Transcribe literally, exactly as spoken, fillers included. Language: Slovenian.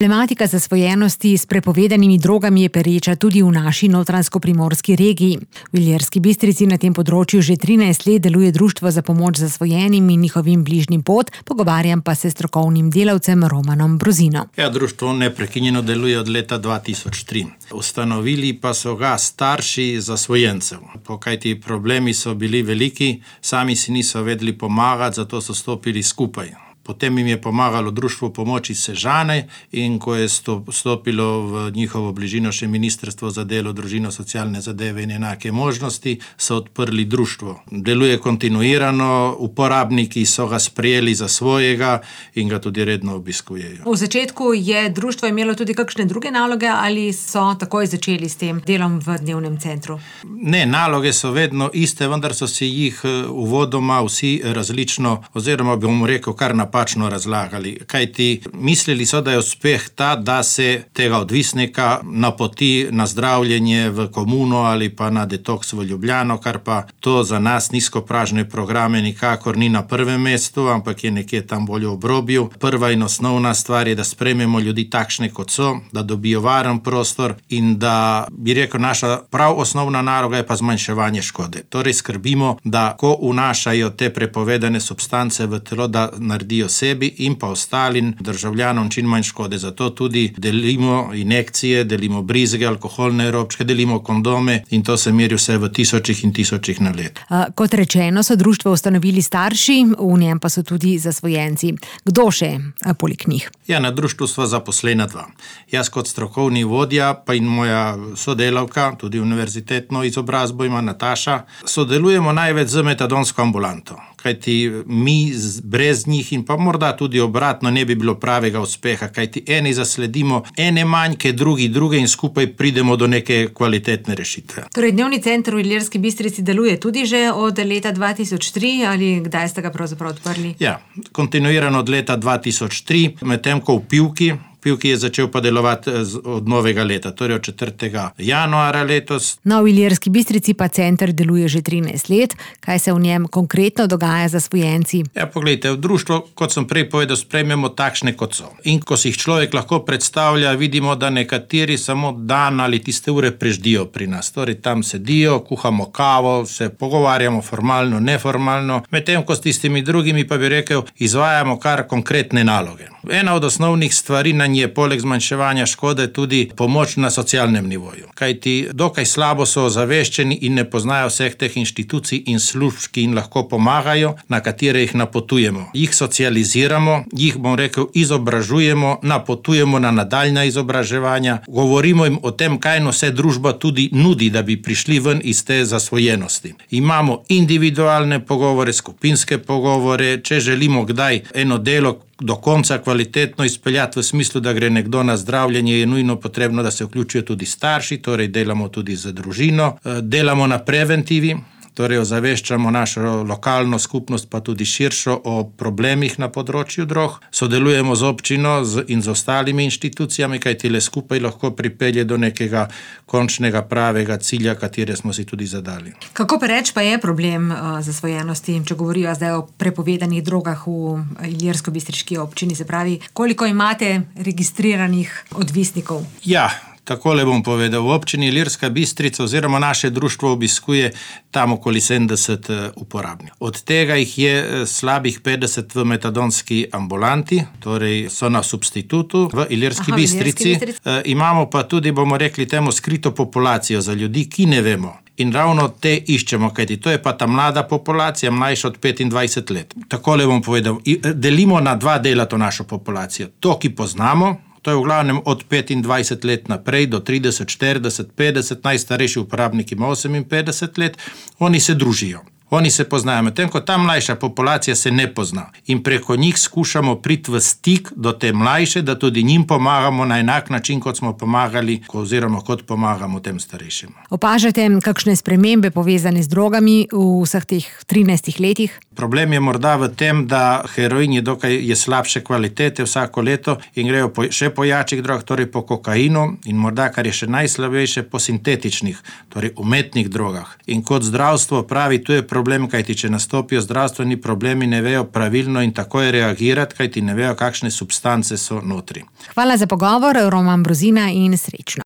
Problematika zasvojenosti s prepovedanimi drogami je pereča tudi v naši notranjsko-primorski regiji. V Ilirski Bistrici na tem področju že trinajst let deluje Društvo za pomoč zasvojenim in njihovim bližnjim pot, pogovarjam pa se s strokovnim delavcem Romanom Brozino. Ja, društvo neprekinjeno deluje od leta dva tisoč tri. Ustanovili pa so ga starši zasvojencev. Kajti problemi so bili veliki, sami si niso vedeli pomagati, zato so stopili skupaj. Potem jim je pomagalo Društvo pomoči Sežane in ko je stopilo v njihovo bližino še Ministrstvo za delo, družino, socialne zadeve in enake možnosti, so odprli društvo. Deluje kontinuirano, uporabniki so ga sprejeli za svojega in ga tudi redno obiskujejo. V začetku je društvo imelo tudi kakšne druge naloge ali so takoj začeli s tem delom v dnevnem centru? Ne, naloge so vedno iste, vendar so si jih uvodoma vsi različno, oziroma bom rekel kar napačno razlagali. Kajti mislili so, da je uspeh ta, da se tega odvisnika napoti na zdravljenje v komuno ali pa na detoks v Ljubljano, kar pa to za nas nizkopražne programe nikakor ni na prvem mestu, ampak je nekje tam bolj v obrobju. Prva in osnovna stvar je, da sprejmemo ljudi takšne, kot so, da dobijo varen prostor in da, bi rekel, naša prav osnovna naloga je pa zmanjševanje škode. Torej skrbimo, da ko vnašajo te prepovedane substance v telo, da naredijo sebi in pa ostalim državljanom čim manj škode. Zato tudi delimo injekcije, delimo brizge, alkoholne robčke, delimo kondome in to se meri vse v tisočih in tisočih na leto. Kot rečeno, so društvo ustanovili starši, v njem pa so tudi zasvojenci. Kdo še poleg njih? Ja, na društvu sva zaposlena dva. Jaz kot strokovni vodja, pa in moja sodelavka, tudi univerzitetno izobrazbo ima Nataša, sodelujemo največ z metadonsko ambulanto. Kajti mi brez njih in pa morda tudi obratno ne bi bilo pravega uspeha, kajti eni zasledimo ene manjke, drugi druge in skupaj pridemo do neke kvalitetne rešitve. Torej, dnevni center v Ilirski Bistrici deluje tudi že od leta dva tisoč tri ali kdaj ste ga pravzaprav odprli? Ja, kontinuirano od leta dva tisoč tri, medtem ko v Pivki, Pivki je začel pa delovati od novega leta, torej od četrtega januarja letos. No, v Ilirski Bistrici pa center deluje že trinajst let. Kaj se v njem konkretno dogaja za zasvojenci? Ja, poglejte, v društvu, kot sem prej povedal, sprejmemo takšne, kot so. In ko si jih človek lahko predstavlja, vidimo, da nekateri samo dan ali tiste ure preždijo pri nas. Torej, tam sedijo, kuhamo kavo, se pogovarjamo formalno, neformalno, medtem ko s tistimi drugimi pa bi rekel, izvajamo kar konkretne naloge. Ena od osnovnih stvari na je poleg zmanjševanja škode tudi pomoč na socialnem nivoju. Kajti dokaj slabo so ozaveščeni in ne poznajo vseh teh inštitucij in služb, ki jim lahko pomagajo, na katere jih napotujemo. Jih socializiramo, jih, bom rekel, izobražujemo, napotujemo na nadaljnja izobraževanja, govorimo jim o tem, kaj vse družba tudi nudi, da bi prišli ven iz te zasvojenosti. Imamo individualne pogovore, skupinske pogovore, če želimo kdaj eno delo do konca kvalitetno izpeljati v smislu, da gre nekdo na zdravljenje, je nujno potrebno, da se vključijo tudi starši, torej delamo tudi z družino, delamo na preventivi, torej ozaveščamo našo lokalno skupnost, pa tudi širšo o problemih na področju drog. Sodelujemo z občino in z ostalimi inštitucijami, kajti le skupaj lahko pripelje do nekega končnega pravega cilja, katere smo si tudi zadali. Kako pereč pa je problem uh, zasvojenosti, če govorijo zdaj o prepovedanih drogah v Ilirsko-Bistriški občini, se pravi, koliko imate registriranih odvisnikov? Ja, takole bom povedal, v občini Ilirska Bistrica oziroma naše društvo obiskuje tam okoli sedemdeset uporabnikov. Od tega jih je slabih petdeset v metadonski ambulanti, torej so na substitutu v Ilirski Aha, Bistrici. Bistrici. E, imamo pa tudi, bomo rekli temu, skrito populacijo za ljudi, ki ne vemo. In ravno te iščemo, kajti to je pa ta mlada populacija, mlajša od petindvajset let. Takole bom povedal, delimo na dva dela to našo populacijo. To, ki poznamo, to je v glavnem od petindvajset let naprej do trideset, štirideset, petdeset, najstarejši uporabnik ima oseminpetdeset let, oni se družijo. Oni se poznajo, medtem ko ta mlajša populacija se ne pozna. In preko njih skušamo priti v stik do te mlajše, da tudi njim pomagamo na enak način, kot smo pomagali, oziroma kot pomagamo tem starejšim. Opažate kakšne spremembe povezane z drogami v vseh teh trinajstih letih? Problem je morda v tem, da heroin je dokaj je slabše kvalitete vsako leto in grejo po, še po jačih drogah, torej po kokainu in morda, kar je še najslabejše, po sintetičnih, torej umetnih drogah. In kot zdravstvo pravi, tu je problem problem, kajti če nastopijo zdravstveni problemi, ne vejo pravilno in takoj reagirati, kajti ne vejo, kakšne substance so notri. Hvala za pogovor, Roman Brozina, in srečno.